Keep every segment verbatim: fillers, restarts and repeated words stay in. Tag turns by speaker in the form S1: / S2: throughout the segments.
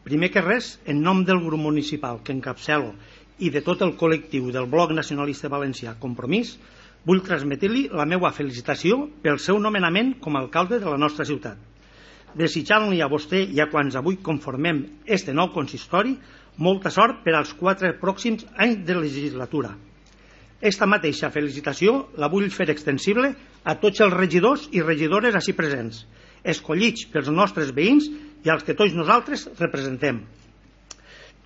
S1: Primer que res, en nom del grup municipal que encapçalo i de tot el col·lectiu del Bloc Nacionalista Valencià Compromís, vull transmetre-li la meva felicitació pel seu nomenament com a alcalde de la nostra ciutat, desitjant-li a vostè i a quants avui conformem este nou consistori molta sort per als quatre pròxims anys de legislatura. Esta mateixa felicitació la vull fer extensible a tots els regidors i regidores ací presents, escollits pels nostres veïns i als que tots nosaltres representem.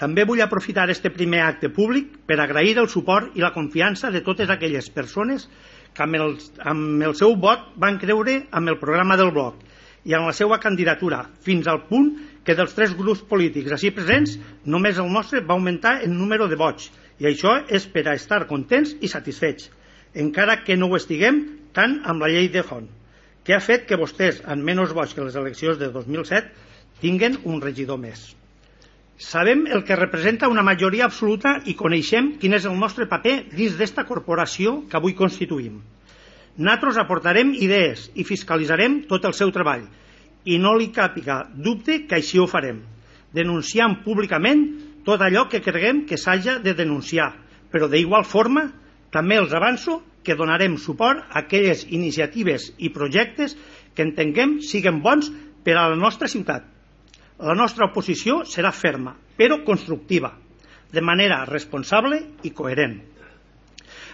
S1: També vull aprofitar este primer acte públic per agrair el suport i la confiança de totes aquelles persones que amb el, amb el seu vot van creure amb el programa del bloc i amb la seva candidatura, fins al punt que dels tres grups polítics ací presents només el nostre va augmentar el número de vots, i això és per a estar contents i satisfets, encara que no ho estiguem tant amb la llei de Font, que ha fet que vostès, amb menys vots que les eleccions de dos mil set, tinguen un regidor més. Sabem el que representa una majoria absoluta i coneixem quin és el nostre paper dins d'esta corporació que avui constituïm. Nosaltres aportarem idees i fiscalitzarem tot el seu treball, i no li càpiga dubte que així ho farem, denunciant públicament tot allò que creguem que s'haja de denunciar, però d'igual forma també els avanço que donarem suport a aquelles iniciatives i projectes que entenguem siguen bons per a la nostra ciutat. La nostra oposició serà ferma, però constructiva, de manera responsable i coherent.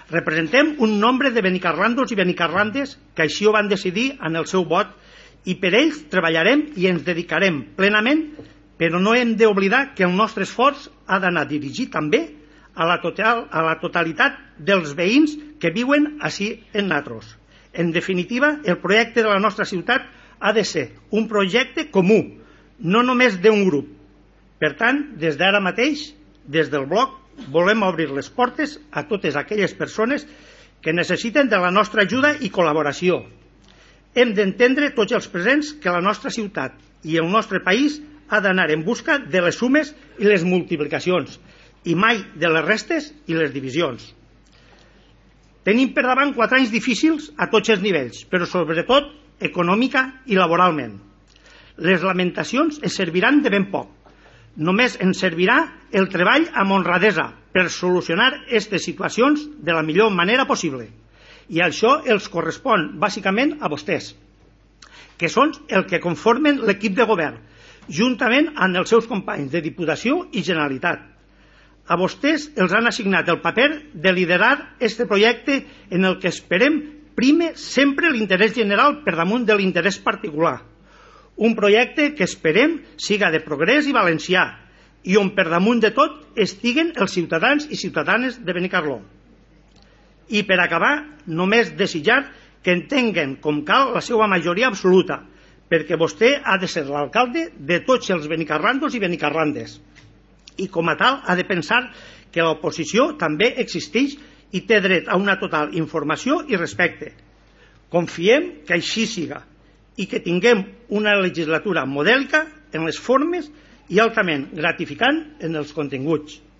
S1: Representem un nombre de benicarlandos i benicarlandes que així ho van decidir en el seu vot i per ells treballarem i ens dedicarem plenament, però no hem d'oblidar que el nostre esforç ha d'anar dirigit també a la, total, a la totalitat dels veïns que viuen ací en nosaltres. En definitiva, el projecte de la nostra ciutat ha de ser un projecte comú, no només d'un grup. Per tant, des d'ara mateix, des del bloc, volem obrir les portes a totes aquelles persones que necessiten de la nostra ajuda i col·laboració. Hem d'entendre tots els presents que la nostra ciutat i el nostre país ha d'anar en busca de les sumes i les multiplicacions, i mai de les restes i les divisions. Tenim per davant quatre anys difícils a tots els nivells, però sobretot econòmica i laboralment. Les lamentacions ens serviran de ben poc. Només ens servirà el treball amb honradesa per solucionar aquestes situacions de la millor manera possible. I això els correspon bàsicament a vostès, que són el que conformen l'equip de govern, juntament amb els seus companys de Diputació i Generalitat. A vostès els han assignat el paper de liderar aquest projecte en el que esperem prime sempre l'interès general per damunt de l'interès particular. Un projecte que esperem siga de progrés i valencià i on per damunt de tot estiguen els ciutadans i ciutadanes de Benicarló. I per acabar, només desitjar que entenguen com cal la seva majoria absoluta, perquè vostè ha de ser l'alcalde de tots els benicarlandos i benicarlandes. I com a tal ha de pensar que l'oposició també existeix i té dret a una total informació i respecte. Confiem que així siga i que tinguem una legislatura modèlica en les formes i altament gratificant en els continguts.